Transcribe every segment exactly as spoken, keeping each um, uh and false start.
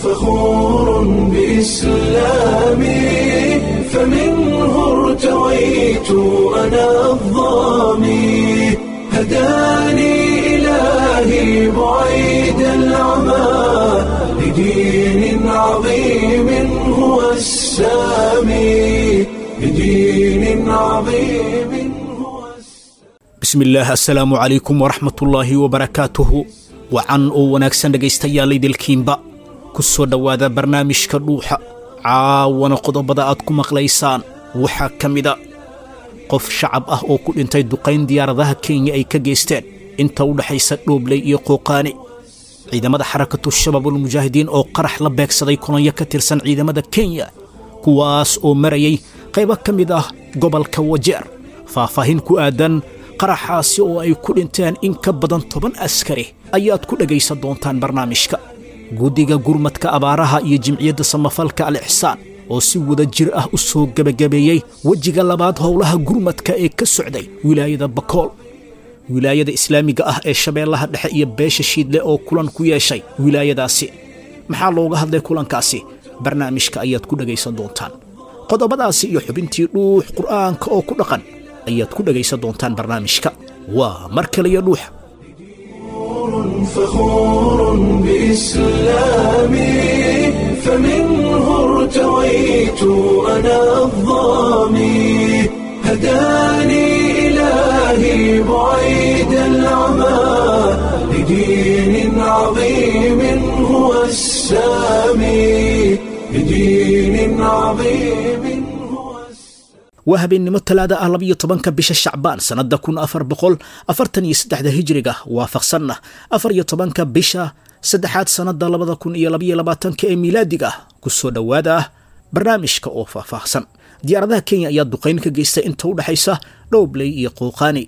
فخور بإسلامي، فمنه ارتويت أنا الظامي، هداني إلهي بعيد العمى لدين عظيم هو السامي، لدين عظيم هو السامي. Bismillaah, assalaamu calaykum waraxmatullaahi wabarakaatuhu. Wacan oo wanaagsan dhegaystayaal idilkiinba, ku soo dhowaada barnaamijka Dhuuxa. Caawana qodobada aad ku maqlaysaan waxaa ka mida qof shacab ah oo ku dhintay duqayn diyaaradaha Kenya ay ka geysteen inta u dhexaysa Dhoobley iyo Qooqaani, ciidamada Xarakatu Shabaabulmujaahidiin oo qarax la beegsaday kolonyo ka tirsan ciidamada Kenya kuwaas oo marayay qaybo ka mid ah gobolka Wajeer. Faahfaahin ku aadan qaraxaasi oo ay ku dhinteen in ka badan toban askari ayaad ku dhegaysan doontaan barnaamijka. Guddiga gurmadka abaaraha iyo Jimciyadda Samafalka Al Ixsaan oo si wada jir ah u soo gebagabeeyey wejiga labaad howlaha gurmadka ee ka socday wilaayada Bakool, wilaayada islaamiga ah ee Shabeellaha Dhexe iyo beesha Shiidle oo kulan ku yeeshay wilaayadaasi. Maxaa looga hadlay kulankaasi? Barnaamijka ayaad ku dhegaysan doontaan. Qodobadaasi iyo xubintii Dhuux Qur'aanka oo ku dhaqan ayaad ku dhegaysan doontaan barnaamijka. Waa mar kale iyo Dhuuxa. فخور بإسلامي، فمنه ارتويت أنا الظامي، هداني إلهي بعيد العمى لدين عظيم هو السامي، لدين عظيم هو السامي. Waa habeennimo Talaada ah, labiyo tobanka bisha Shacbaan sannadda kun afar boqol afartan iyo saddexda hijriga, waafaqsanna afar iyo tobanka bisha saddexaad sannadda labada kun iyo labiyo labaatanka ee miilaadiga. Ku soo dhowaada ah barnaamijka oo faahfaahsan. Diyaaradaha Kenya ayaa duqayn ka geystay inta u dhexaysa Dhowbley iyo Qooqaani.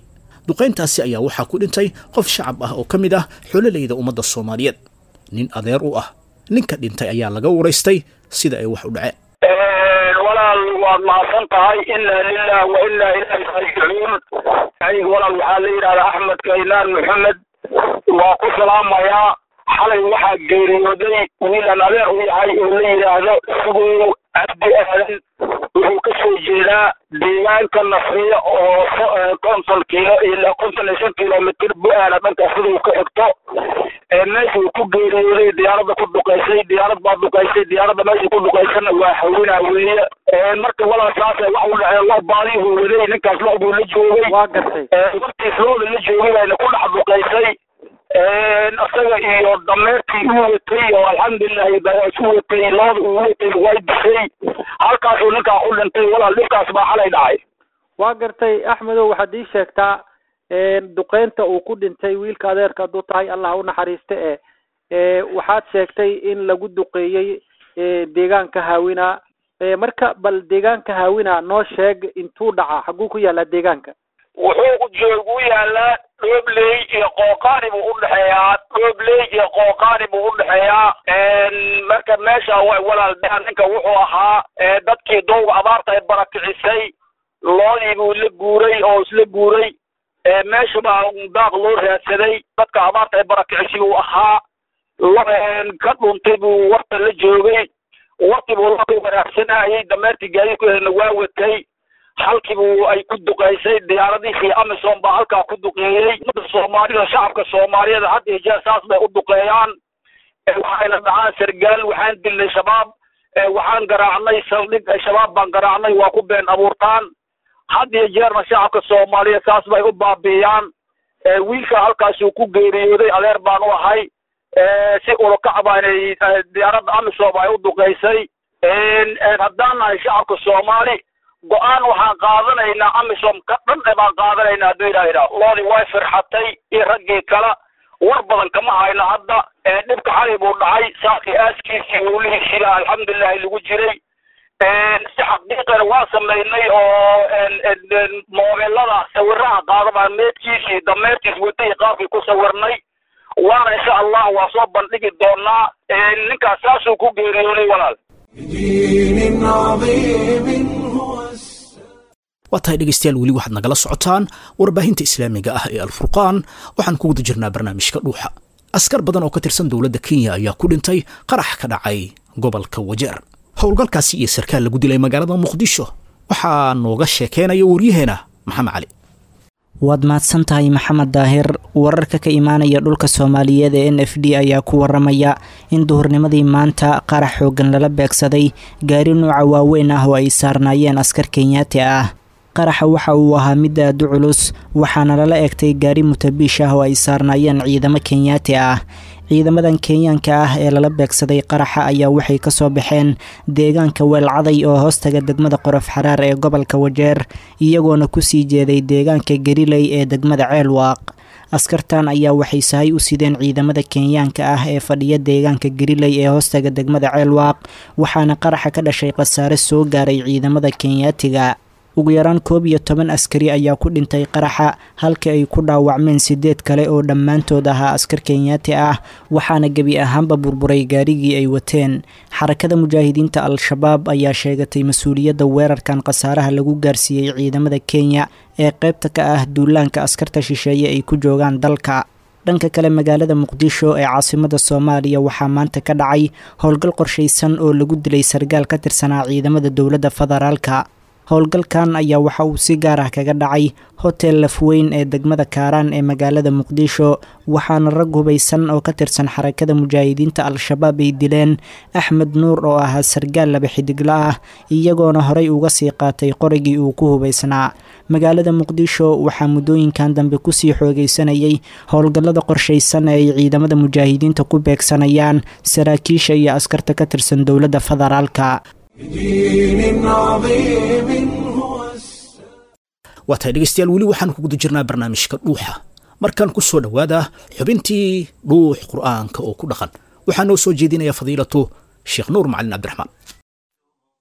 Duqayntaasi ayaa waxaa ku dhintay qof shacab ah oo ka mid ah xololeyda ummadda Soomaaliyeed. Nin adeer u ah ninka dhintay ayaa laga waraystay sida ay wax u dhaceen. Walaal, waad mahadsan tahay. Inna lilah wa inna ilayhi raajicuun. Aniga walaal waxaa la yidhahdaa Axmed Kaynaan Maxamed, waa ku salaamayaa. Xalay waxaa geeriyooday wiilan adeer u yahay oo la yidhaahdo Sugow Cabdi Aadan. Wuxuu ka soo jeedaa deegaanka Nasriya oo konton kiilo ilaa konton iyo shan kilomitir Bu-aala dhanka siduu ka xigto. Meeshuu ku geeriyooday diyaaradda ku duqaysay, diyaarad baa duqaysay. Diyaaradda meeshii ku duqaysana waa Hawinaa weeye. Marka walaal saasa wax u dhaceen. Lo baadihuu waday ninkaas, lo buu la joogay. Waa gartay. Wartiis looda la joogay bayna ku dhex duqaysay isaga iyo dameerkii u watay oo alxamdulilahi isu watay. Looda uu watay way dishay, halkaasuu ninkaa ku dhintay. Walaal, dhibkaas baa xalay dhacay. Waa gartay. Axmedow, waxaad ii sheegtaa duqeynta uu ku dhintay wiilka adeerka hadduu tahay, Allah u naxariiste, e waxaad sheegtay in lagu duqeeyey deegaanka Haawina. Marka bal deegaanka Haawina noo sheeg, intuu dhacaa, xagguu ku yaalaa deegaanka? Wuxuu joogu yaalaa Dhoobley iyo Qooqaani buu udhexeeyaa, Dhoobley iyo Qooqaani buu udhexeeyaa. Marka meesha walaal ninka wuxuu ahaa dadkii dowga abaarta ay barakicisay. Loodii buu la guuray oo isla guuray, meesha baa daaq loo raadsaday. Dadka abaarta ay barakicisay buu ahaa, ka dhuntay buu warta la joogay. Wartii buu la waraabsanayay, dameertii gaadiid ku helna waa watay. Halkiibuu ay ku duqaysay diyaaradihii Amisom baa halkaa ku duqeeyey. Ummadda Soomaalida, shacabka Soomaaliyeed had iyo jeer saas bay u duqeeyaan. Waxayna dhacaan sargaal, waxaan dilnay Shabaab, waxaan garaacnay saldhig Shabaab baan garaacnay, waa ku been abuurtaan. Had iyo jeerna shacabka Soomaaliyeed saas bay u baabi'iyaan. Wiilka halkaasuu ku geeriyooday, adeer baan u ahay. Si ulokac baanay diyaaradda Amisom ay u duqaysay. Haddaan nahay shacabka Soomaali, go-aan waxaan qaadanaynaa Amisom ka dhan e baan qaadanaynaa hadduu Ilaah yidhaah. Loodii way firxatay iyo raggii kale, war badan kama hayno hadda. Dhibka xalay buu dhacay, saakii aaskiisii howlihiisiiba alxamdulilahi lagu jiray. Si xaqiiqana waa samaynay oo moobeelada sawiraha qaada baan meedkiisii dameertiis watay qaabkii ku sawirnay, waana insha Allah waa soo bandhigi doonaa. Ninkaas saasuu ku geeriyooday walaal. بدين عظيم هو السلام. Waa tahay dhegaystayaal, weli waxaad nagala socotaan warbaahinta islaamiga ah ee Alfurqaan. Waxaan ku guda jirnaa barnaamijka Dhuuxa. Askar badan oo ka tirsan dowladda Kenya ayaa ku dhintay qarax ka dhacay gobolka Wajeer. Howlgalkaasi iyo sarkaal lagu dilay magaalada Muqdisho waxaa nooga sheekeynaya waryaheena Maxamed Cali. Waad mahadsan tahay Maxamed Daahir. Wararka ka imaanaya dhulka Soomaaliyeed ee N F D ayaa ku waramaya in duhurnimadii maanta qarax xoogan lala beegsaday gaari nuuca waaweyn ah oo ay saarnaayeen askar Kenyaati ah. Qaraxa waxa uu ahaa mid aad u culus, waxaana lala egtay gaari mutabiish ah oo ay saarnaayeen ciidamo Kenyaati ah. Ciidamadan Kenyaanka ah ee lala beegsaday qaraxa ayaa waxay kasoo baxeen deegaanka Weelcaday oo hoostaga degmada Qorof Xaraar ee gobolka Wajeer, iyagoona kusii jeeday deegaanka Gariley ee degmada Ceelwaaq. Askartan ayaa waxay sahay u sideen ciidamada Kenyaanka ah ee fadhiya deegaanka Gariley ee hoostaga degmada Ceelwaaq, waxaana qaraxa ka dhashay khasaare soo gaaray ciidamada Kenyaatiga. Ugu yaraan koob iyo toban askari ayaa ku dhintay qaraxa, halka ay ku dhaawacmeen sideed kale oo dhammaantood ahaa askar Kenyaati ah, waxaana gebi ahaanba burburay gaarigii ay wateen. Xarakada Mujaahidiinta Al-Shabaab ayaa sheegatay mas-uuliyadda weerarkan khasaaraha lagu gaarsiiyey ciidamada Kenya ee qaybta ka ah duulaanka askarta shisheeye ay ku joogaan dalka. Dhanka kale, magaalada Muqdisho ee caasimada Soomaaliya waxaa maanta ka dhacay howlgal qorshaysan oo lagu dilay sargaal ka tirsanaa ciidamada dowladda federaalka. Howlgalkan ayaa waxa uu si gaar ah kaga dhacay hotel Lafweyn ee degmada Kaaraan ee magaalada Muqdisho, waxaana rag hubaysan oo ka tirsan Xarakada Mujaahidiinta Al-Shabaab ay dileen Axmed Nuur oo ahaa sargaal laba xidigla ah, iyagoona horey uga sii qaatay qorigii uu ku hubaysnaa. Magaalada Muqdisho waxaa muddooyinkan dambe kusii xoogaysanayay howlgallada qorshaysan ee ay ciidamada mujaahidiinta ku beegsanayaan saraakiisha iyo askarta ka tirsan dowladda federaalka. بدين عظيم هو السلام. Waa tahay dhegeystayaal, weli waxaan ku guda jirnaa barnaamijka Dhuuxa. Markaan ku soo dhowaada xubintii Dhuux Qur'aanka oo ku dhaqan, waxaa noo soo jeedinaya fadiilatu Sheekh Nuur Macalin Cabdiraxmaan.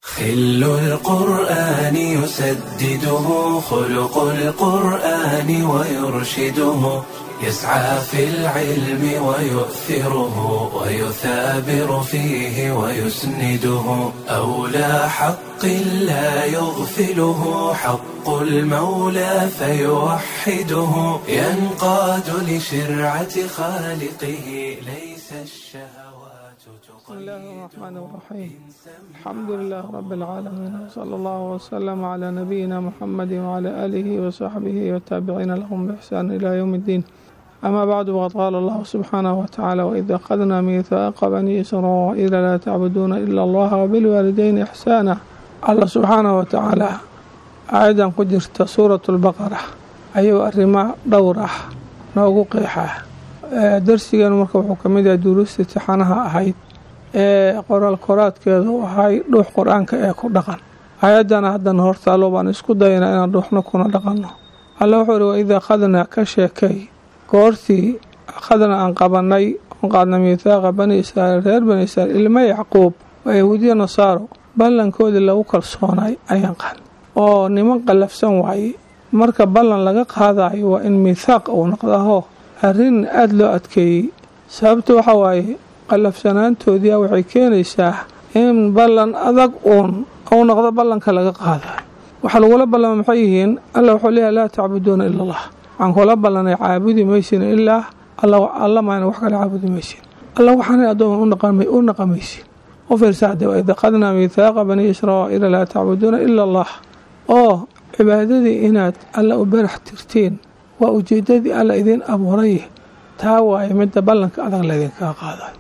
خل القرآن يسدده خلق القرآن ويرشده، يسعى في العلم ويؤثره ويثابر فيه ويسنده، أولى حق لا يغفله حق المولى فيوحده، ينقاد لشرعة خالقه ليس الشهوات بسم الله الرحمن الرحيم. الحمد لله رب العالمين، وصلى الله وسلم على نبينا محمد وعلى آله وصحبه والتابعين لهم بإحسان إلى يوم الدين. أما بعد، وقد قال الله سبحانه وتعالى: وإذ أخذنا ميثاق بني إسرائيل لا تعبدون إلا الله وبالوالدين إحسانا. الله سبحانه وتعالى أيضا قدرت سورة البقرة أيها الرماء دورة noogu qeexaa. Darsigan marka wuxuu ka mid yahay duruusta imtixaanaha ahayd ee qoraal koraadkeedu ahay Dhuux Qur-aanka ee ku dhaqan. Ayaddana haddana hortaalo baan isku daynaa inaan dhuuxno kuna dhaqanno. Alla wuxuu ihi: waida akhadnaa, ka sheekay goortii, akhadna aan qabanay oon qaadnay, miithaaqa bani Israa'iil, reer bani Israiil, ilma Yacquub waa Yahuudiya Nasaaro, ballankoodii lagu kalsoonay ayaan qaadnay. Oo niman qallafsan waaye, marka ballan laga qaadayo waa in miithaaq uu noqdaho arrin aada loo adkeeyey. Sababta waxa waaye qallafsanaantoodiia waxay keenaysaa in ballan adag uun uu noqdo ballanka laga qaadayo. Waxaa lagula ballama maxay yihiin? Alla wuxuu leeyahay: laa tacbuduuna ila Allah. Waxaan kula ballanay caabudi maysin ilaa alla, alla maana wax kale caabudi maysin, alla waxaanay addooma u naqamaysin. U fiirsaade: waid aqadnaa miithaaqa bani Israa'iila laa tacbuduuna ila Allah. Oo cibaadadii inaad alla u barax tirtiin waa ujeedadii alla idiin abuuray, taa waaye midda ballanka adag laydinkaga qaadayo.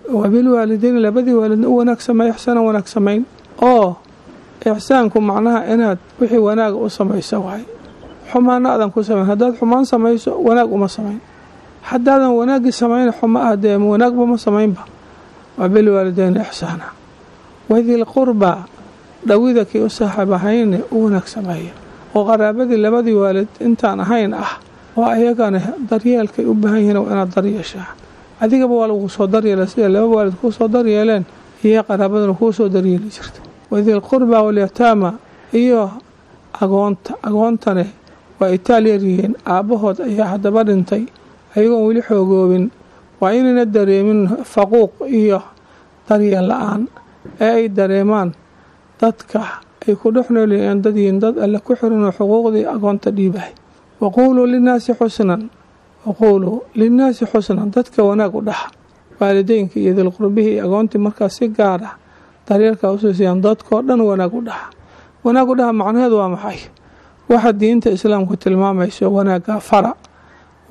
Wabilwaalideyn, labadii waalidna u wanaag sameey, ixsaanan wanaag samayn. Oo ixsaanku macnaha inaad wixii wanaaga u samayso waaye, xumaana aadan ku samayn. Haddaad xumaan samayso wanaag uma samayn, haddaadan wanaaggii samayn xuma ah dee wanaagba ma samaynba. Wabilwaalideyn ixsaana wadil qurbaa, dhawida kii u saaxiib ahayne u wanaag sameeya, oo qaraabadii labadii waalid intaan ahayn ah oo ayagana daryeelkay u baahan yihiin waa inaad daryeeshaa. Adigaba waa lagu soo daryeela sida laba waalid kuu soo daryeeleen iyo qaraabaduna kuu soo daryeeli jirta. Wadil qurbaa walyataama, iyo agoonta. Agoontane waa itaal yaryihiin, aabbahood ayaa haddaba dhintay ayagoon weli xoogoobin, waa inayna dareemin faquuq iyo daryeel la-aan ee ay dareemaan dadka ay ku dhex noolyihiin dad yihiin dad alle ku xiran oo xuquuqdii agoonta dhiibahay. Waquuluu linnaasi xusnan, Waquuluu linnaasi xusnan, dadka wanaag u dhaxa, waalideynka iyo dilqurbihii iyo agoontii markaas si gaar ah daryeelka usoo siiyaan, dadkoo dhan wanaag u dhaxa. Wanaag u dhaxa macnaheedu waa maxay? Waxa diinta islaamku tilmaamayso wanaagga fara,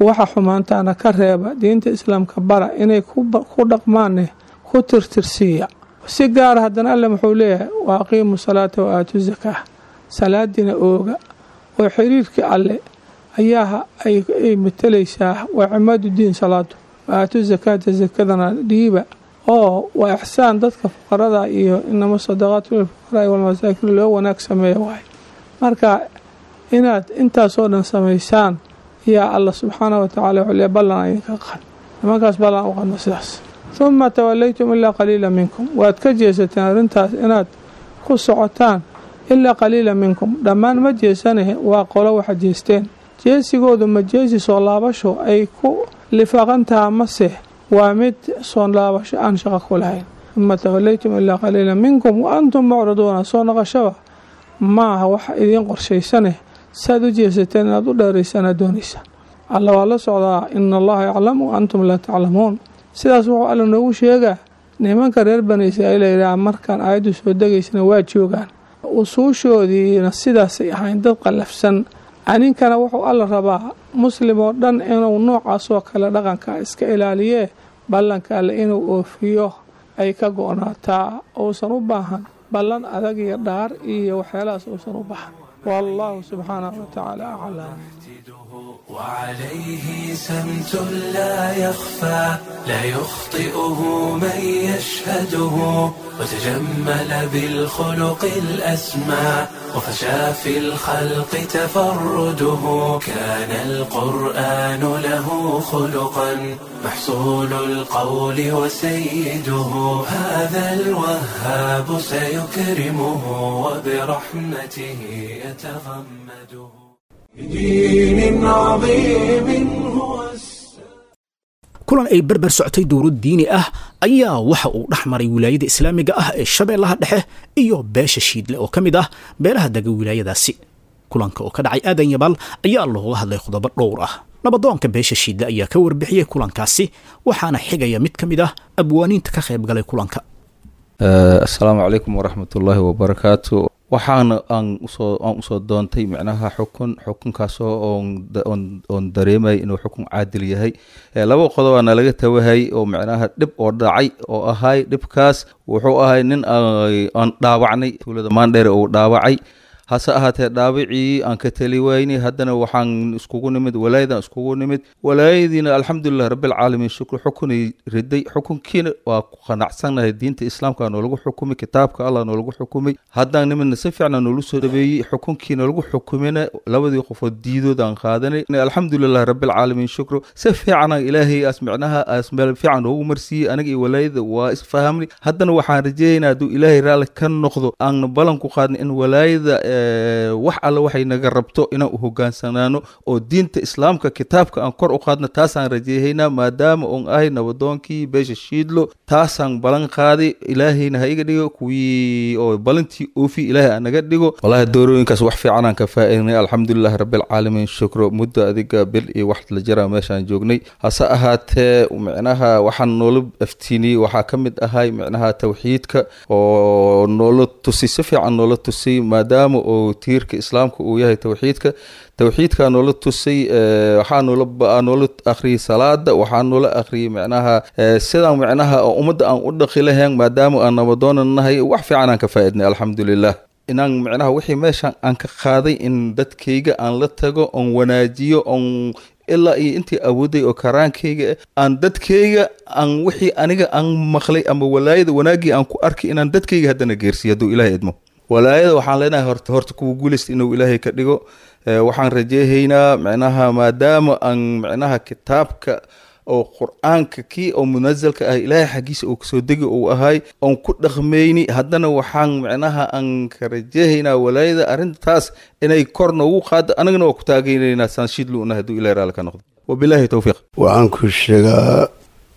waxa xumaantaana ka reeba, diinta islaamka bara, inay ku dhaqmaanne ku tirtirsiiya si gaara. Haddana Alle muxuu leeyahay? Wa aqiimu salaata wa aatu zakaa, salaadiina ooga oo xiriirkii Alle ayaa ay matalaysaa. Waa cimaadu diin salaadu. Wa aatu zakaata, zakadana dhiiba, oo waa ixsaan dadka fuqarada iyo inama sadaqaatu lilfuqaraai walmasaakiin loo wanaag sameeya waay. Marka inaad intaasoo dhan samaysaan yaa Alla subxaanahu watacaala wuxuu leeyahay ballan idinka qan nimankaas, ballan u qadno sidaas. Huma tawallaytum ilaa qaliila minkum, waad ka jeesateen arrintaas inaad ku socotaan. Ilaa qaliila minkum, dhammaan ma jeesane, waa qolo waxa jeesteen. Jeesigoodu ma jeesi soo laabasho ay ku lifaaqantaha mase waa mid soo laabasho aan shaqo ku lahayn? Huma tawallaytum ilaa qaliila minkum wa antum mucriduuna, soo noqoshaba maaha wax idiin qorshaysane, saad u jeesateen inaad u dheeraysana doonaysa. Alla waa la socdaa, ina Allaha yaclamu wa antum laa taclamuun. Sidaas wuxuu Alla noogu sheegaa nimanka reer Bani Israa'iil la yidhaha markaan aayaddu soo degaysana waa joogaan, usuushoodiina sidaasay ahayn, dad qallafsan. Aninkana wuxuu Alla rabaa muslim oo dhan inuu noocaasoo kale dhaqanka iska ilaaliyee, ballanka Alle inuu oofiyo ay ka go-naataa, uusan u baahan ballan adag iyo dhaar iyo waxyaalahaas uusan u baahan. Wallahu subxaanahu watacaala aclam. وعليه سمت لا يخفى، لا يخطئه من يشهده، وتجمل بالخلق الأسمى، وفشى في الخلق تفرده. كان القرآن له خلقا، محصول القول وسيده. هذا الوهاب سيكرمه وبرحمته يتغمده. بدين عظيم هو. Kulan ay berber socotay dowlad diini ah ayaa waxa uu dhex maray wilaayada islaamiga ah ee Shabeellaha Dhexe iyo beesha Shiidle oo ka mid ah beelaha dega wilaayadaasi. Kulanka oo ka dhacay Aadan Yabaal ayaa looga hadlay qodobo dhowr ah. Nabadoonka beesha Shiidle ayaa ka warbixiyey kulankaasi, waxaana xigaya mid ka mid ah abwaaniinta ka qayb galay kulanka. Asalaamu calaykum waraxmatullaahi wabarakaatu. Waxaana aan usoo aan usoo doontay micnaha xukun, xukunkaasoo oon oon dareemay inuu xukun caadil yahay. Laba qodobaana laga tawahay oo micnaha dhib oo dhacay oo ahay. Dhibkaas wuxuu ahay nin aan dhaawacnay tuulada Maandheere uu dhaawacay. Hase ahaatee dhaawacii aan ka tali waynay. Haddana waxaan iskugu nimid walaayadan iskugu nimid, walaayadiina alxamdulilah rabbilcaalamiin shukr, xukunay riday. Xukunkiina waa ku qanacsannahay. Diinta islaamka noolagu xukumay, kitaabka Allah noolagu xukumay. Haddaan nimidna si fiicna noolu soo dhabeeyey. Xukunkiina lagu xukumina labadii qofood diidoodaan qaadanay. Alxamdulilah rabbilcaalamiin shukr, si fiicana Ilaahay aas micnaha aas meel fiican noogu marsiiyey. Aniga iyo walaayada waa isfahamnay. Haddana waxaan rajeeyaynaa hadduu Ilaahay raalli ka noqdo aan ballan ku qaadnay in walaayada wax alle waxay naga rabto inaan u hogaansanaano oo diinta islaamka kitaabka aan kor u qaadno. Taasaan rajeehaynaa maadaama oon ahay nabadoonkii beesha Shiidlo. Taasaan balan qaaday. Ilaahayna ha iga dhigo kuwii oo balantii oofi, Ilaahay ha naga dhigo. Wallahi doorooyinkaas wax fiican aan ka faa'iidnay, alxamdulilah rabbilcaalamiin shukro. Muddo adiga bil iyo wax la jiraa meeshaan joognay. Hase ahaatee micnaha waxaan noola aftiiniyey waxaa ka mid ahay micnaha tawxiidka oo noola tusay, si fiican noola tusay, maadaama oo tiirka islaamka uu yahay tawxiidka. Tawxiidkaa noola tusay, waxaa noola noola akhriyey salaada, waxaa noola akhriyey micnaha sidaan micnaha oo ummadda aan u dhaqi lahayn maadaama aan nabadoona nahay. Wax fiican aan ka faa'iidnay, alxamdulilah. Inaan micnaha wixii meeshaan aan ka qaaday in dadkayga aan la tago oon wanaajiyo oon ilaa iyo intii awooday oo karaankayga aan dadkayga aan wixii aniga aan maqlay ama walaayada wanaaggii aan ku arkay inaan dadkayga haddana geersiiyo hadduu Ilaahay idmo. Walaayada waxaan leenahay horta horta kuwa guulaysta inuu Ilaahay ka dhigo. Waxaan rajeehaynaa micnaha maadaama aan micnaha kitaabka oo Qur-aanka kii oo munazalka ah Ilaahay xaggiisa uu kasoo degi uu ahay oon ku dhaqmayni, haddana waxaan micnaha aan ka rajeehaynaa walaayada arrintaas inay kor noogu qaado. Anagana waa ku taageynaynaa saan Shiidlu una hadduu Ilahay raalli ka noqdo. Wabilaahi towfiiq. Waxaan ku sheegaa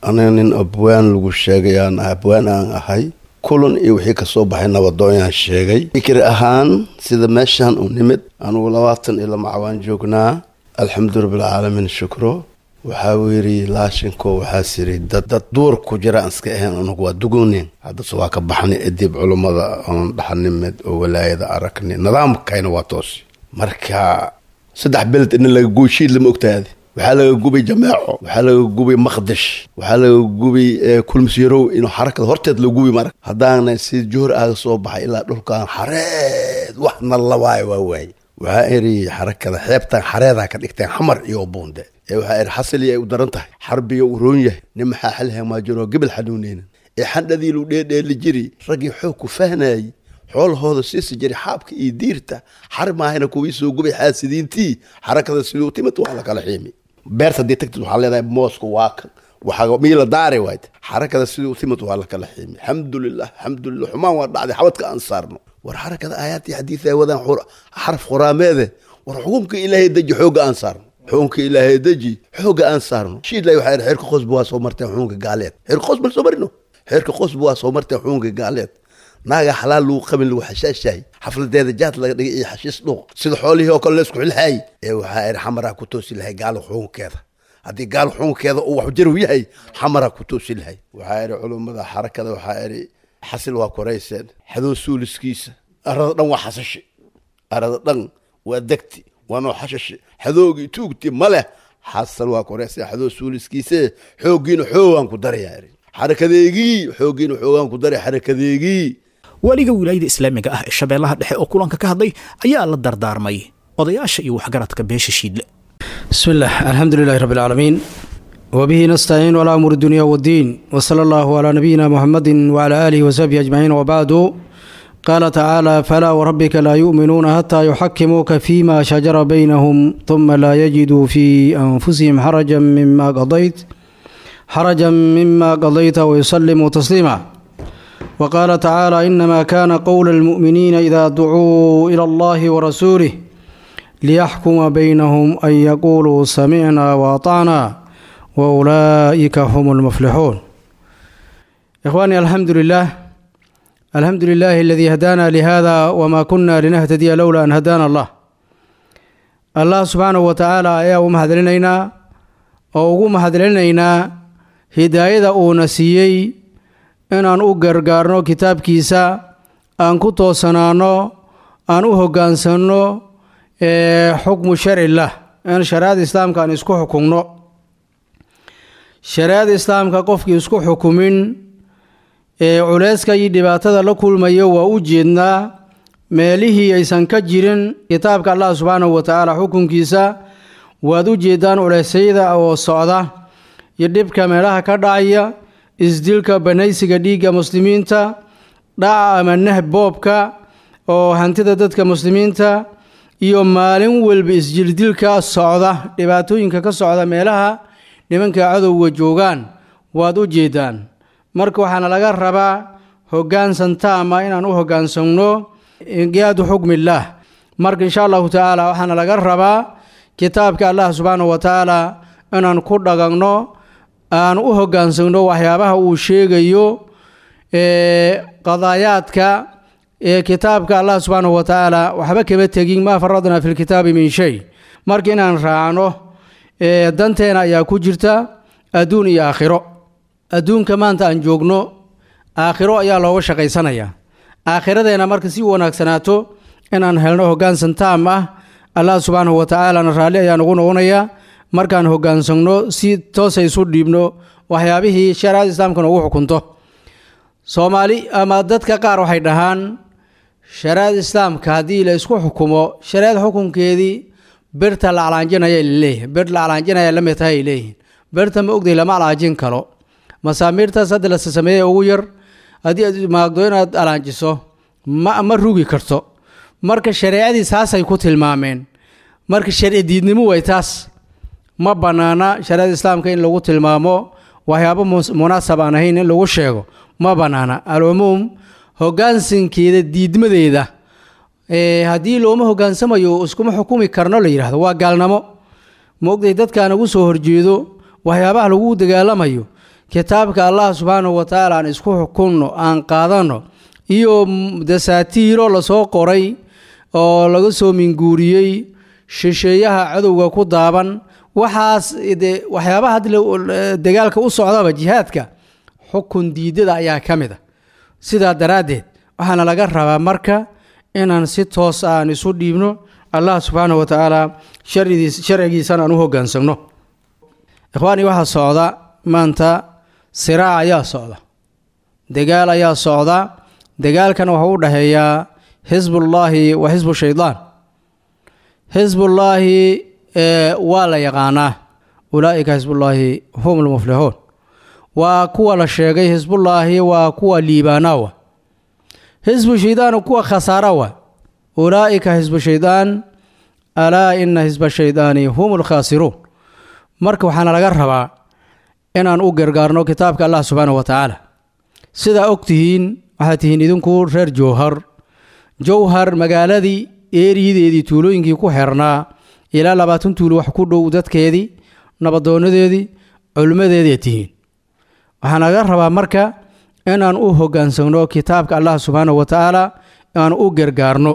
aniga nin abwaan lagu sheegayaan, abwaan aan ahay. Kulan iyo wixii kasoo baxay nabadoonyaan sheegay. Fikir ahaan sida meeshaan u nimid anugu labaatan iyo lama cawaan joognaa, alxamdu rabbilcaalamiin shukro. Waxaa uu yidhi laashinko waxaas yidhi dad dad duur ku jira aan iska ahayn, anugu waa dugooneen, haddase waa ka baxnay edib culummada oon dhaxanimed oo walaayada aragnay, nidaamkayna waa toosi. Marka saddex beled in laga gooshiid lama ogtaadi. Waxaa laga gubay Jameeco, waxaa laga gubay Maqdish, waxaa laga gubay Kulmisyarow, inuu xarakada horteed la gubi. Marka haddaana si joor aaga soo baxay ilaa dhulkaan xareed waxna la waayo waa waaye. Waxaa iri xarakada xeebtan xareedaa ka dhigteen Xamar iyo Buunde ee waxaa iri xasili ay u daran tahay, xarbiga u roon yahay, nin maxaa xalha maajiro gebel xanuuneynin ee xandhadii lu dheedheeli jiri, raggii xoog ku fahnayay, xoolahooda siisi jiray xaabka iyo diirta, xar maahayna kuwii soo gubay xaasidiintii. Xarakada siduu timid waa la kala xiimi. Beerta haddii tagtid waxaa leedahay moosku waa kan, waxaa mii la daari waayt. Xarakada siduu timid waa la kala xiimi. Alxamdulilah, alxamdulilah, xumaan waa dhacday, xabadka aan saarno. War xarakada aayaadii xadiis ay wadaan xaraf quraameede. War xukunka Ilaahay deji, xoogga aan saarno, xukunka Ilaahay deji, xoogga aan saarno. Shiidlay waxaa yidhi xeerka qosba waa soo marteen xukunka gaaleed, xeerka qosba la soo marino, xeerka qosba waa soo marteen xukunka gaaleed. Naaga xalaal lagu qabin, lagu xashaashahay, xafladeeda jaad laga dhigay iyo xashiis dhuuq, sida xoolihii oo kale la isku xilxaay. Ee waxaa idhi Xamaraa ku toosi lahay gaalo xukunkeeda. Haddii gaalo xukunkeeda uu wax jarow yahay, Xamaraa ku toosi lahay. Waxaa idhi culummada xarakada, waxaa idhi xasil waa korayseen xadoo suuliskiisa, arada dhan waa xasashi, arada dhan waa degti, waa noo xashashi, xadoogii tuugti ma leh. Xasal waa korayseen xadoo suuliskiise, xooggiina xoogaan ku darayaa idhi xarakadeegii, xooggiina xoogaan ku daray xarakadeegii. Waaliga wilaayada islaamiga ah ee Shabeellaha Dhexe oo kulanka ka hadlay ayaa la dardaarmay odayaasha iyo waxgaradka beesha Shiidle. بسم الله، الحمد لله رب العالمين، وبه نستعين على أمور الدنيا والدين، وصلى الله على نبينا محمد وعلى آله وصحبه أجمعين، وبعد. قال تعالى: فلا وربك لا يؤمنون حتى يحكموك فيما شجر بينهم ثم لا يجدوا في أنفسهم حرجا مما قضيت حرجا مما قضيت ويسلموا تسليما. وقال تعالى: إنما كان قول المؤمنين إذا دعوا إلى الله ورسوله ليحكم بينهم أن يقولوا سمعنا وأطعنا وأولئك هم المفلحون. إخواني، الحمد لله، الحمد لله الذي هدانا لهذا وما كنا لنهتدي لولا أن هدانا الله. Allah subxaanahu wa tacaala ayaa u mahadcelinaynaa oo ugu mahadcelinaynaa hidaayada uuna siiyey inaan u gargaarno kitaabkiisa, aan ku toosanaano, aan u hoggaansanno xukmu sharcilah, in shareecada islaamka aan isku xukumno. Shareecada islaamka qofkii isku xukumin ee culeyska iyo dhibaatada la kulmayo waa u jeednaa. Meelihii aysan ka jirin kitaabka Allah subxaanahu wa tacaala xukunkiisa waad u jeedaan culeysyada oo socda iyo dhibka meelaha ka dhacaya, isdilka, banaysiga dhiigga muslimiinta, dhaca ama neh boobka oo hantida dadka muslimiinta, iyo maalin walba isjildilka socda, dhibaatooyinka ka socda meelaha nimanka cadowga joogaan waad u jeedaan. Marka waxaana laga rabaa hoggaansan taama inaan u hoggaansanno inqiyaadu xukmillaah. Marka insha Allahu tacaala waxaana laga rabaa kitaabka Allah subxaanahu wa tacaala inaan ku dhaqanno, aan u hoggaansanno waxyaabaha uu sheegayo, qadaayaadka ee kitaabka Allah subxaanahu wa tacaala waxba kama tegin, maa faradnaa fi lkitaabi min shay. Marka inaan raacno danteena ayaa ku jirta adduun iyo aakhiro. Adduunka maanta aan joogno aakhiro ayaa looga shaqaysanayaa. Aakhiradeena marka si wanaagsanaato inaan helno hoggaansan taam ah, Allah subxaanahu wa tacaalana raalli ayaa nugu noqonayaa markaan hoggaansanno, si toosa isu dhiibno waxyaabihii shareecada islaamka noogu xukunto. Soomaali ama dadka qaar waxay dhahaan shareecada islaamka haddii la isku xukumo, shareecada xukunkeedii birta la calaanjinaya laleeyahay, bir la calaanjinaya la mid tahay ay leeyihiin. Birta ma ogday lama calaanjin karo. Masaamiirtaas hadda la sameeyey ugu yar haddii aad maagdo inaad alaanjiso ma ma rugi karto. Marka shareecadii saasay ku tilmaameen. Marka sharci diidnimo way taas, ma bannaana shareecada islaamka in lagu tilmaamo waxyaabo munaasab aan ahayn, in lagu sheego ma bannaana. Alcumuum, hoggaansankeeda diidmadeeda haddii looma hoggaansamayo iskuma xukumi karno la yidhahdo waa gaalnimo. Ma ogday dadkaan ugu soo horjeedo waxyaabaha lagu dagaalamayo kitaabka Allah subxaanahu wa tacaala aan isku xukunno, aan qaadanno, iyo dasaatiiro lasoo qoray oo laga soo minguuriyey shisheeyaha cadowga ku daaban. Waxaas de waxyaabaha hadda dagaalka u socdaba jihaadka xukun diidada ayaa ka mid a. Sidaa daraaddeed waxaana laga rabaa marka inaan si toos ah aan isu dhiibno Allah subxaanahu wa tacaala sharcigiis sharcigiisana aan u hoggaansamno. Ikhwaani, waxaa socda maanta siraac ayaa socda, dagaal ayaa socda. Dagaalkan wuxuu u dhexeeyaa xisbullaahi wa xisbu shaydaan. Xisbullaahi waa la yaqaanaa, ulaa'ika xisbullaahi hum lmuflixuun, waa kuwa la sheegay. Xisbullaahi waa kuwa liibaanaawa, xisbu shaydaan kuwa khasaarawa. Ulaa'ika xisbu shaydaan, alaa ina xisba shaydaani hum lkhaasiruun. Marka waxaana laga rabaa inaan u gargaarno kitaabka Allah subxaanahu wa tacaala. Sidaa og tihiin, waxaad tihiin idinku reer Jowhar. Jowhar magaaladii eeriyadeedii tuulooyinkii ku xirnaa ilaa labaatan tuulo wax ku dhow, dadkeedii, nabadoonadeedii, culimmadeedii tihiin. Waxaa laga rabaa marka inaan u hoggaansanno kitaabka Allah subxaanahu wa tacaala, aan u gargaarno.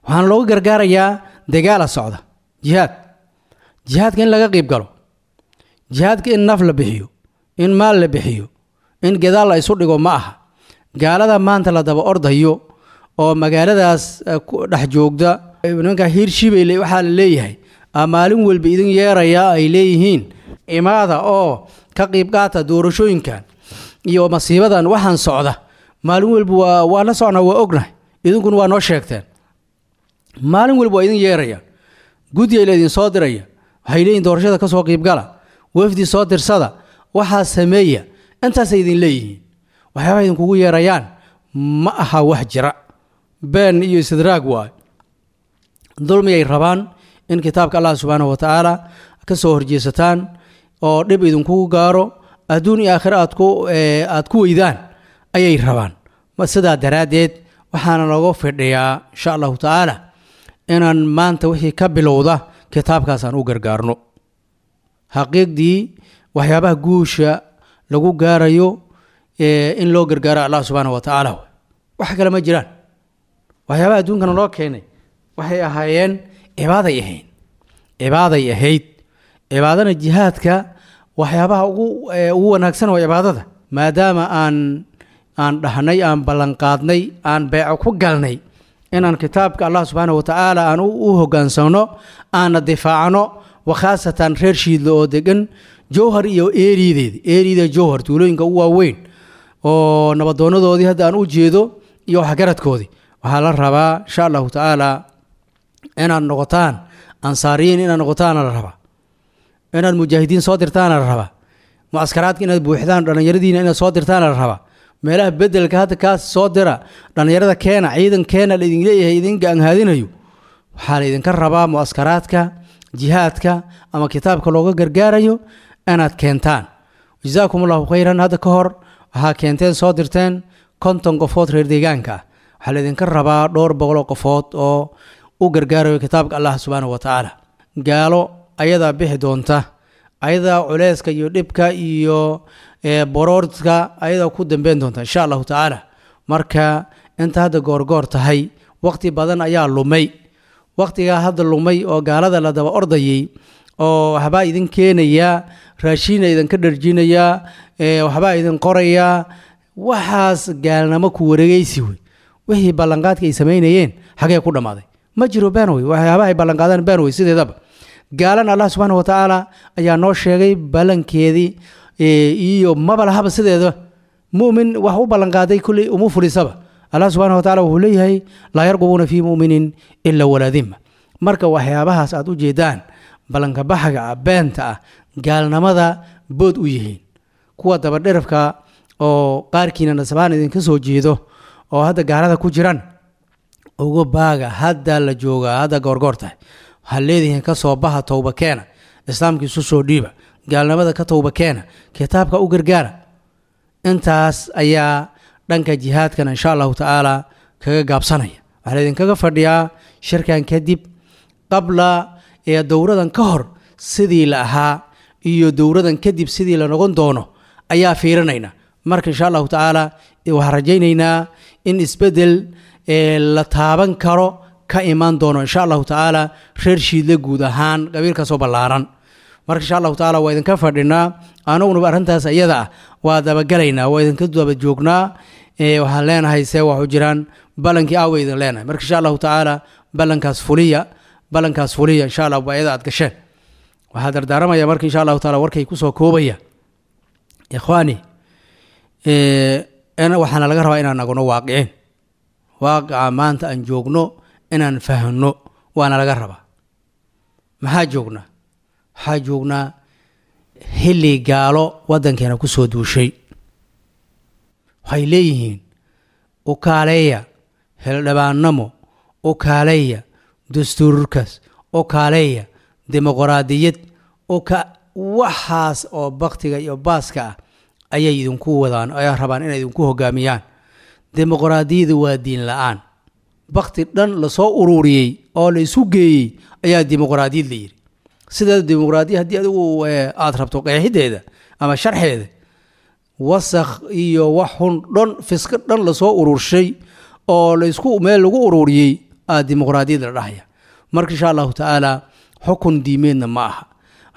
Waxaana loogu gargaarayaa dagaala socda, jihaad. Jihaadka in laga qayb galo, jihaadka in naf la bixiyo, in maal la bixiyo, in gadaal la isu dhigo ma aha. Gaalada maanta la daba ordayo oo magaaladaas dhex joogda, nimanka Hiirshibeyle waxaa la leeyahay maalin walba idin yeerayaa, ay leeyihiin imaada oo ka qayb qaata doorashooyinkan iyo masiibadan waxaan socda maalin walba. Waa waa la socnaa, waa ognahay, idinkuna waa noo sheegteen. Maalin walba waa idin yeerayaan, guddiga la idin soo diraya, waxay leeyihin doorashada ka soo qiibgala, wafdi soo dirsada, waxaa sameeya, intaasay idin leeyihiin. Waxyaabaha idinkugu yeerayaan ma aha wax jira, been iyo istidraag waay, dulmiyay rabaan in kitaabka Allah subxaanahu wa tacaala ka soo horjeesataan oo dhib idinkugu gaaro, adduun iyo aakhiro aad ku aad ku weydaan ayay rabaan. Sidaa daraaddeed waxaana looga fidhiyaa insha Allahu tacaala inaan maanta wixii ka bilowda kitaabkaasaan u gargaarno. Xaqiiqdii waxyaabaha guusha lagu gaarayo in loo gargaaro Allah subxaanahu wa tacaala, wax kale ma jiraan. Waxyaabaha adduunkana loo keenay waxay ahaayeen cibaaday ahayd, cibaaday ahayd. Cibaadana jihaadka waxyaabaha ugu ugu wanaagsan waa cibaadada. Maadaama aan aan dhahnay, aan ballanqaadnay, aan beeco ku galnay inaan kitaabka Allah subxaanahu wa tacaala aan u hoggaansanno, aana difaacno, wakhaasatan reer Shiidle oo degan Jowhar iyo eeriyadeeda, eeriyada Jowhar tuulooyinka u waaweyn oo nabadoonadoodii hadda aan u jeedo iyo waxgaradkoodii, waxaa la rabaa insha Allahu tacaala inaad noqotaan ansaariyiin, inaad noqotaana la rabaa, inaad mujaahidiin soo dirtaana la rabaa, mucaskaraadka inaad buuxdaan, dhallinyaradiina inaad soo dirtaana la rabaa. Meelaha bedelka hadda kaas soo dira, dhallinyarada keena, ciidan keena laidin leeyahay, idin gaanhaadinayo. Waxaa la idinka rabaa mucaskaraadka jihaadka ama kitaabka looga gargaarayo inaad keentaan. Jazaakum Allahu khayran. Hadda ka hor waxaa keenteen, soo dirteen konton qofood reer deegaanka ah. Waxaa laydinka rabaa dhowr boqoloo qofood oo u gargaarayo kitaabka Allah subxaanahu wa tacaala. Gaalo ayadaa bixi doonta, ayadaa culeyska iyo dhibka iyo boroorka ayadaa ku dambeyn doonta insha Allahu tacaala. Marka inta hadda goorgoor tahay, waqti badan ayaa lumay. Waqtigaa hadda lumay oo gaalada la daba ordayay oo waxbaa idin keenayaa, raashiina idinka dharjinayaa, waxbaa idin qorayaa, waxaas gaalnimo ku wareegeysi wey. Wixii ballanqaadka ay samaynayeen xagee ku dhammaaday? Ma jiro, been wey. Waxyaabaha ay ballanqaadaan been wey sideedaba. Gaalana Allah subxaana wa tacaala ayaa noo sheegay ballankeedii iyo maba lahaba sideeda. Mu'min wax u ballanqaaday kulley uma fulisaba. Allah subxana wa tacala wuxuu leeyahay laa yarqubuuna fii mu'minin ila walaa dimma. Marka waxyaabahaas aad u jeedaan ballanka baxaga ah, beenta ah, gaalnimada bood u yihiin. Kuwa dabadherafka oo qaarkiina nasabaan idinka soo jeedo oo hadda gaalada ku jiran, uga baaga, hadda la joogaa, hadda goorgoor tahay. Waxaad leedihiin ka soo baha, towba keena, islaamka isu soo dhiiba, gaalnimada ka towba keena, kitaabka u gargaara. Intaas ayaa dhanka jihaadkan insha Allahu tacaala kaga gaabsanaya. Waxaa laydinkaga fadhiyaa shirkan kadib, qabla ee dowradan ka hor sidii la ahaa iyo dowradan kadib sidii la noqon doono ayaa fiirinayna. Marka insha Allahu tacaala waxaan rajaynaynaa in isbedel la taaban karo ka imaan doono insha Allahu tacaala reer Shiidle guud ahaan qabiilkaasoo ballaaran. Marka insha Allahu tacaala waa idinka fadhinaa, anugunuba arrintaas iyada ah waa dabagalaynaa, waa idinka daba joognaa. Waxaan leenahay see waxu jiraan ballankii aawa idin leenahay. Marka insha Allahu tacaala ballankaas fuliya, ballankaas fuliya insha Allah waa iyada aad gasheen. Waxaa dardaaramaya marka insha Allahu tacaala warkay kusoo koobaya, ikhwaani, waxaana laga rabaa inaan nagno waaqicin, waaqica maanta aan joogno inaan fahno waana laga rabaa. Maxaa joognaa? Waxaa joognaa xilli gaalo waddankeena ku soo duushay. Waxay leeyihiin u kaaleeya xildhibaannamo, u kaaleeya dastuurkaas, u kaaleeya dimuqraadiyad, uka waxaas oo baktiga iyo baaska ah ayay idinku wadaan, ayaa rabaan inay idinku hogaamiyaan. Dimuqraadiyadu waa diin la-aan. Bakti dhan lasoo ururiyey oo la isu geeyey ayaa dimuqraadiyad la yidhi. Sidaa dimuqraadiya haddii adigu aada rabto qeexideeda ama sharxeeda, wasakh iyo wax xun dhan, fisqi dhan lasoo ururshay oo laisku meel lagu ururiyey aa dimuqraadiyad la dhahaya. Marka insha Allahu tacaala xukun diimeedna ma aha.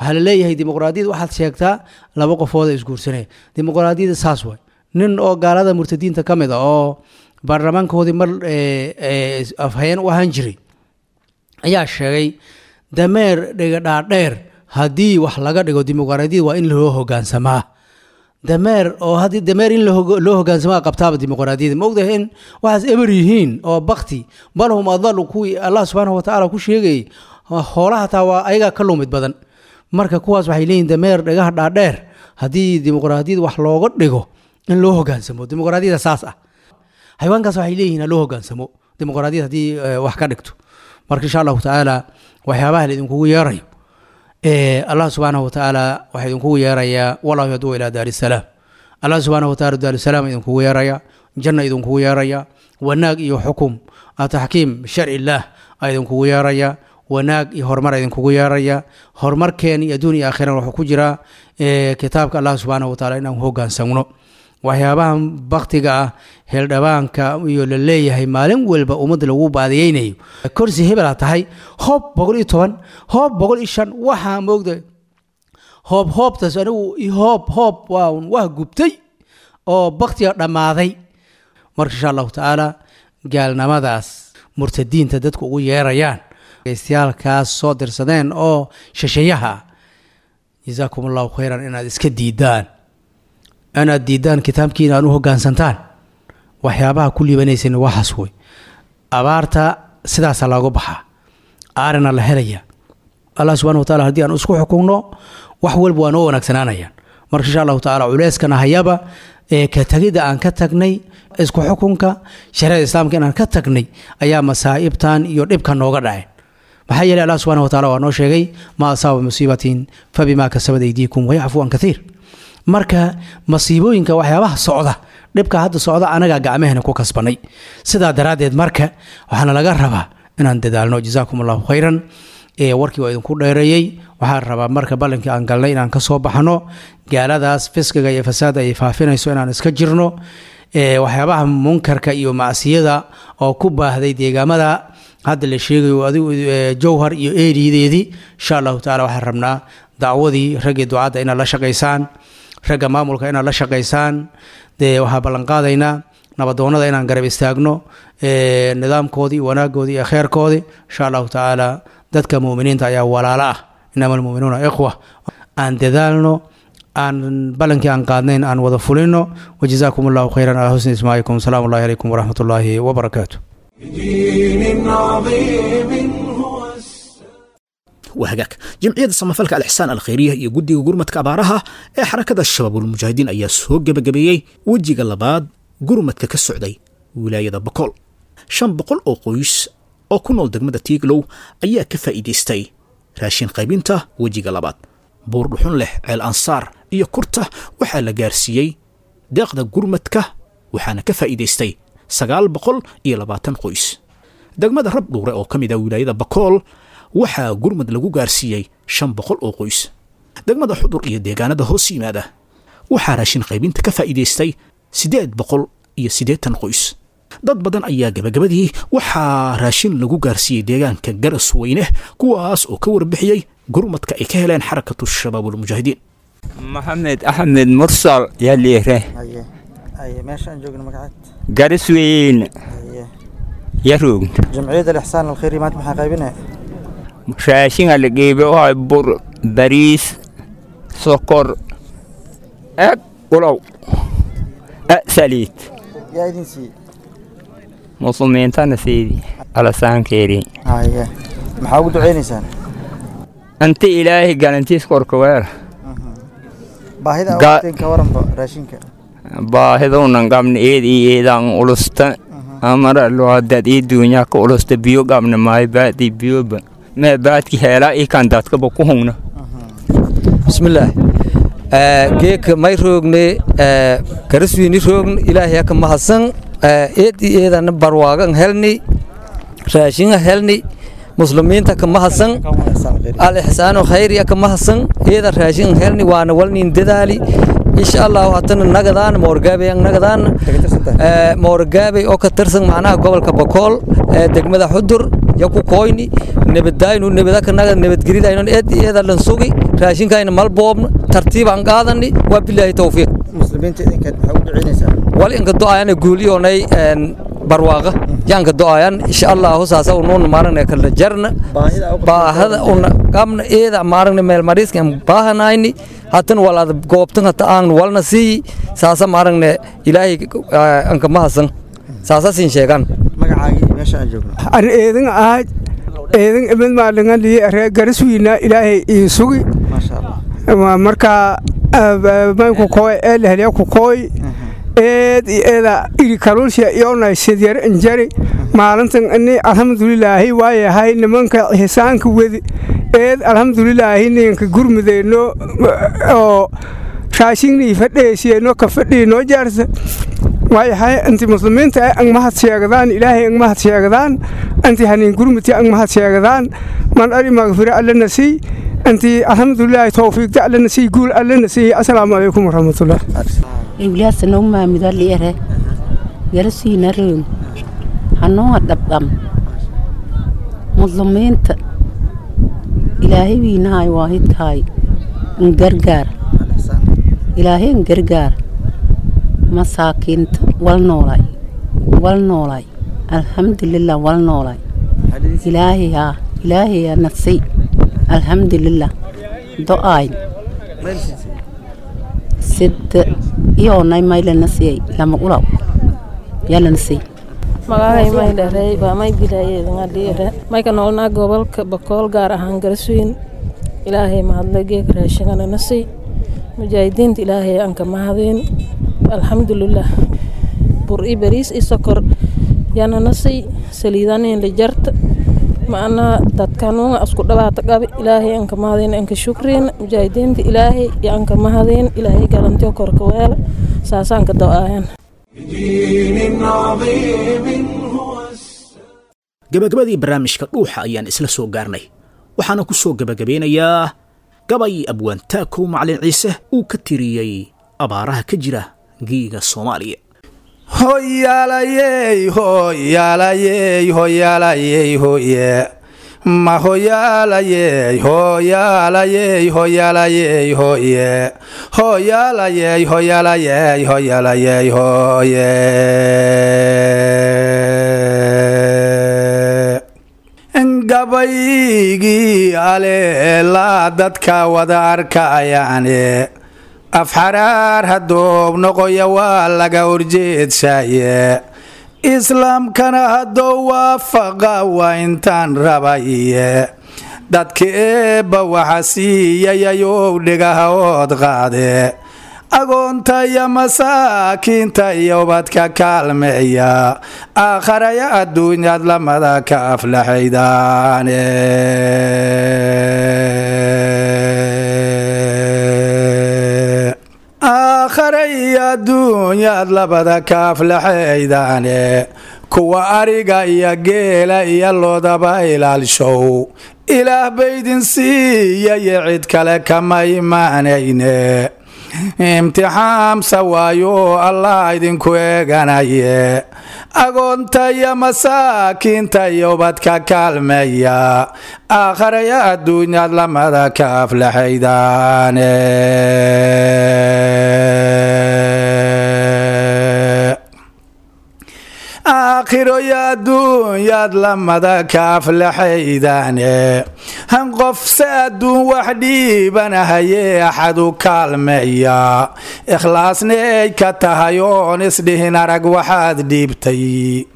Waxaa la leeyahay dimuqraadiyad waxaad sheegtaa laba qofooda isguursanaya. Dimuqraadiyadda saas waay. Nin oo gaalada murtadiinta ka mid a oo baarlamaankoodii mar afhayeen u ahaan jiray ayaa sheegay dameer dhigadhaadheer haddii wax laga dhigo dimuqraadiyad waa in loo hogaansamaa. Dameer oo haddii dameer in loo hogaansamaa qabtaaba dimuqraadiyada. Ma ogdahay in waxaas eber yihiin oo bakti, bal hum adalu, kuwii Allah subxaanahu watacaala ku sheegayay hoolaha taa waa ayagaa ka lumid badan. Marka kuwaas waxay leeyihin dameer dhagaha dhaadheer haddii dimuqraadiyad wax looga dhigo in loo hogaansamo, dimuqraadiyada saas ah. Xayawaankaas waxay leeyihin ha loo hogaansamo dimuqraadiyad haddii wax ka dhigto. Marka insha Allahu tacaala waxyaabaha la idinkugu yeerayo, Allah subxaanahu watacaala waxaa idinkugu yeerayaa wallahu yaduu ilaa daari salaam. Allah subxaanahu wataala daarusalaam idinkugu yeeraya, janna idinkugu yeeraya, wanaag iyo xukum taxkiim sharci illaah a idinkugu yeeraya, wanaag iyo horumar idinkugu yeeraya. Horumarkeen iyo adduun iyo aakhirana wuxuu ku jiraa kitaabka Allah subxaanahu wataala inaan hogaansamno. Waxyaabahan baktiga ah xildhibaanka iyo la leeyahay maalin walba ummadda lagu baadiyeynayo, korsi hebelaa tahay, hoob boqol iyo toban, hoob boqol iyo shan, waxaa moogda hoob hoobtaas anigu hoob hoob waa wah gubtay oo baktiga dhammaaday. Marka insha Allahu tacaala gaalnimadaas murtadiinta dadku ugu yeerayaan geystayaalkaas soo dirsadeen oo shisheeyaha, jazaakum Allahu khayran, inaad iska diidaan, inaad diidaan kitaabkiina aan u hogaansantaan. Waxyaabaha ku liibanaysan waxaas wey. Abaarta sidaasaa looga baxaa, aarina la helaya. Allah subxana wataala haddii aan isku xukunno wax walba waa noo wanaagsanaanayaan. Marka insha Allahu tacaala culeyskana hayaba ee ka tagidda aan ka tagnay isku xukunka shareecada islaamka inaan ka tagnay ayaa masaa'ibtan iyo dhibka nooga dhaceen. Maxaa yeelay Allah subxana wataala waa noo sheegay maa asaaba musiibatin fabimaa kasabat aydiikum wayacfu an kathiir. Marka masiibooyinka waxyaabaha socda, dhibka hadda socda anagaa gacmahena ku kasbanay. Sidaa daraaddeed marka waxaana laga rabaa inaan dadaalno. Jazaakum Allahu khayran. Warkii waa idinku dheereeyey. Waxaan rabaa marka ballankii aan galnay inaan ka soo baxno, gaaladaas fisqiga iyo fasaada ay faafinayso inaan iska jirno, waxyaabaha munkarka iyo macsiyada oo ku baahday deegaamada hadda la sheegayo adigu Jowhar iyo eeriyadeedii. Insha Allahu tacaala waxaan rabnaa dacwadii raggii ducadda inaad la shaqaysaan, ragga maamulka inaad la shaqaysaan. Dee waxaa ballanqaadaynaa nabadoonnada inaan garab istaagno, nidaamkoodii, wanaagoodii iyo kheerkoodii. Insha Allahu tacaala dadka mu'miniinta ayaa walaalo ah, inama almu'minuuna ikhwa. Aan dadaalno, aan ballankii aan qaadnayn aan wada fulino. Wajazaakum Allahu khayran calaa husni ismaa'ikum. Salaamu Allahi calaykum waraxmat ullaahi wabarakaatu. Waa hagaag. Jamciyadda samafalka Alixsaan Alkhayriya iyo guddiga gurmadka abaaraha ee xarakada Shabaabulmujaahidiin ayaa soo gebagabeeyey wejiga labaad gurmadka ka socday wilaayada Bokool. Shan boqol oo qoys oo ku nool degmada Tiiglow ayaa ka faa'iidaystay raashin qaybinta wejiga labaad. Buurdhuxun leh, Ceel Ansaar iyo Kurta waxaa la gaarsiiyey deeqda gurmadka, waxaana ka faa'iidaystay sagaal boqol iyo labaatan qoys. Degmada Rabdhuure oo ka mid ah wilaayada Bakool waxaa gurmad lagu gaarsiiyey shan boqol oo qoys. Degmada Xudur iyo deegaanada hoos yimaada waxaa raashin qaybinta ka faa'iidaystay siddeed boqol iyo siddeetan qoys. Dad badan ayaa gabagabadii waxaa raashin lagu gaarsiiyey deegaanka Garasweyne, kuwaas oo ka warbixiyey gurmadka ay ka heleen Xarakatu Shabaabulmujaahidiin. Maxamed Axmed Mursal yaliire. Meesha aan joogno magaceed? Garisweyne yaroog. Jamciyadda Alixsaan Alkhayri maanta maxaa qaybinaya? Raashinga la geebe oo bur, bariis, sokor, eg ulow, saliid. Yaa idin siiyey? Muslimiintana siidi alasaankeeri. Haye, maxaa ugu duceynaysaan? Inta Ilaahay galantiis korka weer. Baahida awteen ka waranba raashinka? Baahiduunan qabna eed iyo eedaan ulusta amara loo dad ii duunyaa ka ulusta, biyo qabna maayo, baadii biyoba mee baadki heelaa ii kan dadkaba ku hungna. Bismillaah, geeka may roogne? Garaswiini roogn. Ilaahay ka mahadsan, eed iyo eedana barwaagan helni, raashinga helni, muslimiinta ka mahadsan, Al-Ixsaanu Khayriya ka mahadsan. Eeda raashin helni waana walnin dadaali, insha Allah. Hatana nagadaan Moorgaabey, nagadaan Moorgaabey oo ka tirsan macnaha gobolka Bakool, degmada Xudur yaku koyni. Nabadaynu nabada ka naga nabadgelidaynu eed eeda lan sugi, raashinkayna malboobna, tartiib aan qaadani. Waa bilaahi tawfiiq. Muslimiinta idinka maxaa ugu duceynaysaa? Wal inka du'aayana guuliyoonay barwaaqa yaanka du'aayan, insha Allah. Saasa unuun maaragna kala jarna baahada una qabna eeda maaragna meel mariiska baahanayni. Hatan walaad goobtan hata aan walna sii saasa maaragna Ilaahay anka mahadsan, saasa siin sheegan. Magacaagii, meesha aan joogno? An eedan ahayd, eedan imid maalingan reer Garaswiina. Ilaahay ii sugi. Maasha Allah. Marka maynku kooy eelaheliya ku kooy eed iyo eeda iri kaluulsha iyonay sidyar injari maalintan ini. Alxamdulilaahi, waayahay nimanka hisaanka wedi eed. Alxamdulilaahi, ninka gurmudeyno oo raashinnii fadheesiyeyno ka fadhiinoo jaarsa. Waayahay inti muslimiinta ang mahad sheegdaan, Ilaahay ang mahad sheegdaan, inti hanin gurmudti ang mahad sheegdaan. Man ari magfira Alla nasiy inti. Alxamdulilaahi, tawfiiqda Alla nasiy, guul Alla nasiy. Assalaamu calaykum waraxmatullah. Iwliyaasa noo maamido liere Garasiina roog hanuunga dhabdham. Muslimiinta Ilaahay wiinahay waahidkahay ngargaar, Ilaahay ngargaar masaakiinta. Wal noolay, wal noolay, alxamdulilah, wal noolay. Ilaahay haa, Ilaahay haa nasiy, alxamdulilah. Do-aay sida iyoonay maylana siiyey lama ulaw yalana siy. Magacay may dharey baa may bilaayeedngadhiire. May ka noolnaa gobolka Bakool, gaar ahaan Garasweyn. Ilaahay mahadle, geeka raashingana nasiy. Mujaahidiinta Ilaahay aan ka mahadeen, alxamdulilah. Bur i bariis i sokor yana nasiy, saliidanin la jarta. Macnaa dadkanuunga isku dhabaata qabi. Ilaahay aan ka mahadeen, aan ka shukriin. Mujaahidiinta Ilaahay iyo aan ka mahadeen. Ilaahay galantiyo korka weela, saasaan ka do-aayan. Gabagabadii barnaamijka Dhuuxa ayaan isla soo gaarnay, waxaana ku soo gabagabeynayaa gabay abwaantaakow Macalin Ciise uu ka tiriyey abaaraha ka jira geega Soomaaliya. Hoyaalayey, hoyaalayey, hoyaalayey, hoye ma hoyaalayey, hoyaalayey, hoyaalayey, hoye, hoyaalayey, hoyaalayey, hoyaalayey, hoye. Gabaygii aleelaa dadka wada arkayaane, afxaraar haddoob noqoya waa laga horjeedshaye. Islaamkana haddou waafaqa waa intaan rabaye. Dadka eebba waxa siiyayayow dhigaha ood qaade, agoonta iyo masaakiinta iyo ubadka kaalmeeya. Aakharaya adduunyaad lamada ka aflaxaydaane. Aakhare iyo adduunyaad labada ka aflaxaydaane. Kuwa ariga iyo geela iyo loodaba ilaalshow, Ilaah baydin siiyaye, cid kale kama imaanayne. Imtixaamsa waayo Allah idinku eeganaye. Agoonta iyo masaakiinta iyo ubadka kaalmeeya, aakharaya adduunyaad lamada ka aflaxaydaane. Aakhiro iyo adduunyaad lamada ka aflaxaydaane. Han qofse adduun wax dhiibanahaye axad u kaalmeeya, ikhlaasnay ka tahay oon isdhihin arag waxaad dhiibtay,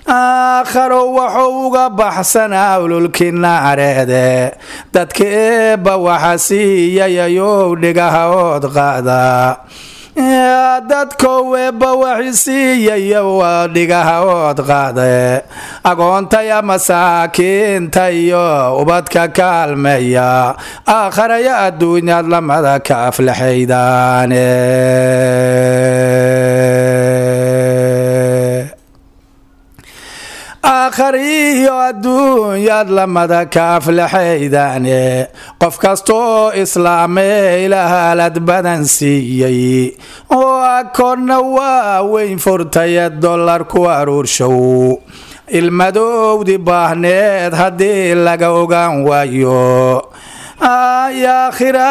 aakharo wuxuu uga baxsanaa ululkii naareede. Dadka eebba waxa siiyayayow dhigaha ood qaada. Dadkow eebba waxi siiyayo dhigaha ood qaade, agoontaya masaakiinta iyo ubadka kaalmeeya, aakharaya adduunyaad lamada ka aflaxaydaane. Aakhariyo adduunyaad lamada ka aflaxaydaane. Qof kastoo islaamee ilahaalad badan siiyey oo akoonna waa weyn furtaye dollar ku aruurshow, ilmadowdi baahneed haddii laga ogaan waayo, aakhira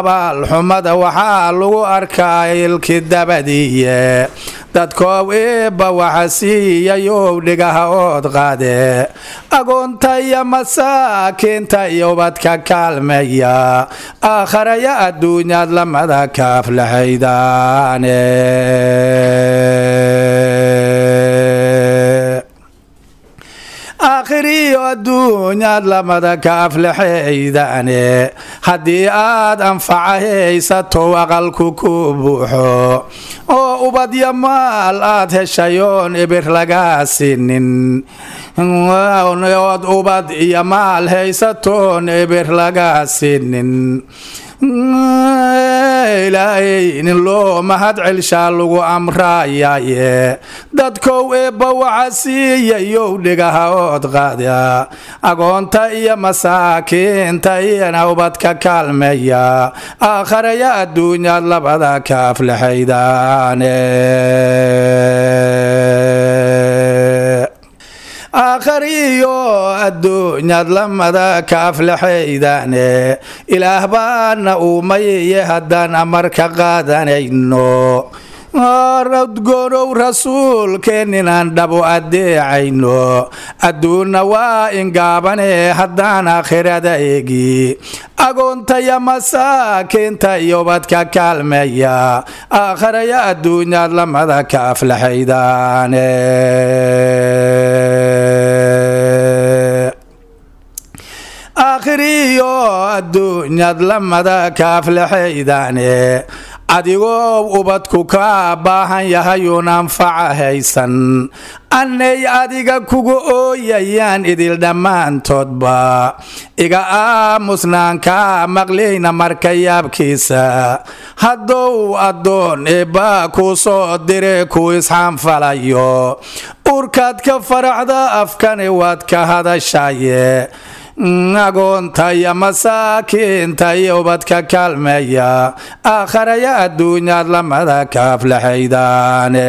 abaalxumada waxaa lagu arkaa ilki dabadiiye. Dadkoow eebba waxa siiyayow dhigaha ood qaade, agoonta iyo masaakiinta iyo ubadka kaalmeeya, aakharaya adduunyaad lamada ka aflaxaydaane. Aakhiriyo adduunyaad lamada ka aflaxaydaane. Haddii aad anfaca haysato, aqalku ku buuxo oo ubadyo maal aad heshayoon ibir lagaa siinin, ood ubad iyo maal haysatoon ibir lagaa siinin, Ilaahay nin loo mahad celshaa lagu amraayaye. Dadkow eebba waxa siiyayow dhigaha ood qaada, agoonta iyo masaakiinta iyana ubadka kaalmeeya, aakharaya adduunyaad labada ka aflaxaydaane. Aakhariyo adduunyaad lamada ka aflaxaydaane. Ilaah baana uumayiye haddaan amarka qaadanayno, radgoonow rasuulkeen inaan dhabu adeecayno, adduunna waa ingaabane haddaan aakhirada eegi, agoonta iyo masaakiinta iyo ubadka kaalmeeya, aakharaya adduunyaad lamada ka aflaxaydaane. Aakhiriyo adduunyaad lamada ka aflaxaydaane. Adigoo ubadku ka baahan yahayuun anfaca haysan, annay adiga kugu ooyayaan idil dhammaantoodba, iga aamusnaanka maqlayna marka yaabkiisa, haddou addoon eebba kuu soo dire ku isxaanfalayo, urkaad ka faraxda afkani waad ka hadashaye. Agoonta iyo masaakiinta iyo ubadka kaalmeeya, aakharaya adduunyaad lamada ka aflaxaydaane.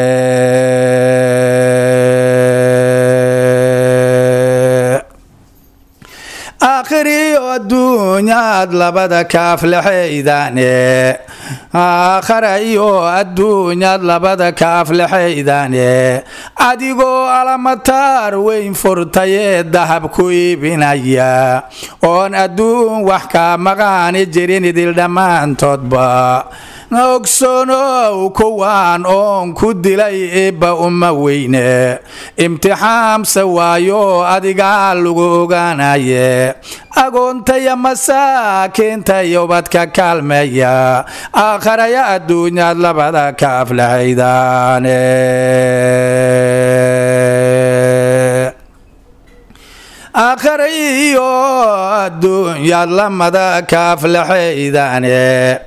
Aakhiriyo adduunyaad labada ka aflaxaydaane. Aakhara iyo adduunyaad labada ka aflaxaydaane. Adigoo alamataar weyn furtayee dahab ku iibinaya, oon adduun wax ka maqaani jirin idil dhammaantoodba, ogsoonow kuwaan oon ku dilay eebba uma weyne, imtixaamse waayo adigaa lagu ogaanaye. Agoonta iyo masaakiinta iyo ubadka kaalmeeya, aakharaya adduunyaad labada ka aflaxaydaane. Aakhara iyo adduunyaad lamada ka aflaxaydaane.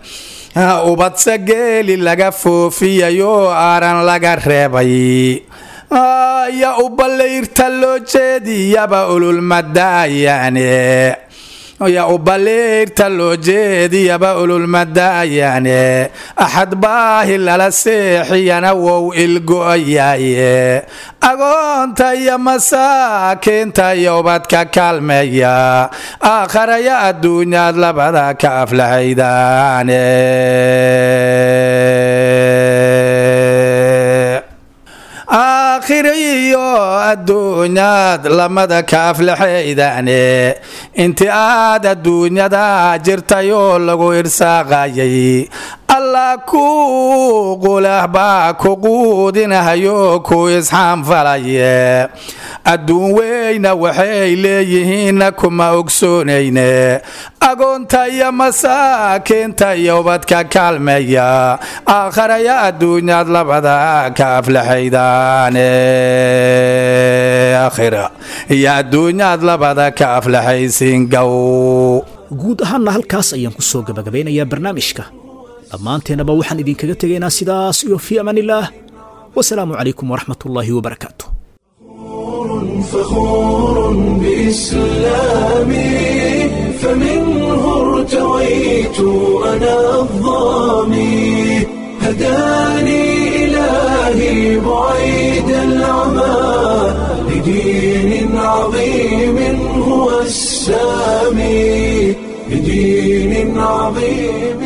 Ubadse geeli laga foofiyayo aaran laga reebay iyo ubalayrta loo jeediyaba ululmadaayaane. Ya ubaliirta loo jeediyaba ululmadaayaane axad baahi lala seexiyana wow ilgo'ayaaye agoonta iyo masaakiinta iyo ubadka kaalmeeya aakharaya adduunyaad labada ka aflaxaydaane. Aakhira iyo adduunyaad lamada ka aflaxaydaane intii aad adduunyada jirtayoo lagu irsaaqayay Allah ku qulah baa ku quudinahayo ku isxaanfalaye adduun weyna waxay leeyihiinna kuma ogsoonayne agoonta iyo masaakiinta iyo ubadka kaalmeeya aakharaya adduunyaad labada ka aflaxaydaane aakhira iyo adduunyaad labada ka aflaxaysiin gow. Guud ahaanna halkaas ayaan ku soo gabagabeynayaa barnaamijka. Dhammaanteennaba waxaan idinkaga tegaynaa sidaas iyo fii amaanillaah, wasalaamu calaykum waraxmatullaahi wabarakaatu. فخور بإسلامي فمنه ارتويت أنا الظامي هداني إلهي بعيد العمى لدين عظيم هو السامي لدين عظيم.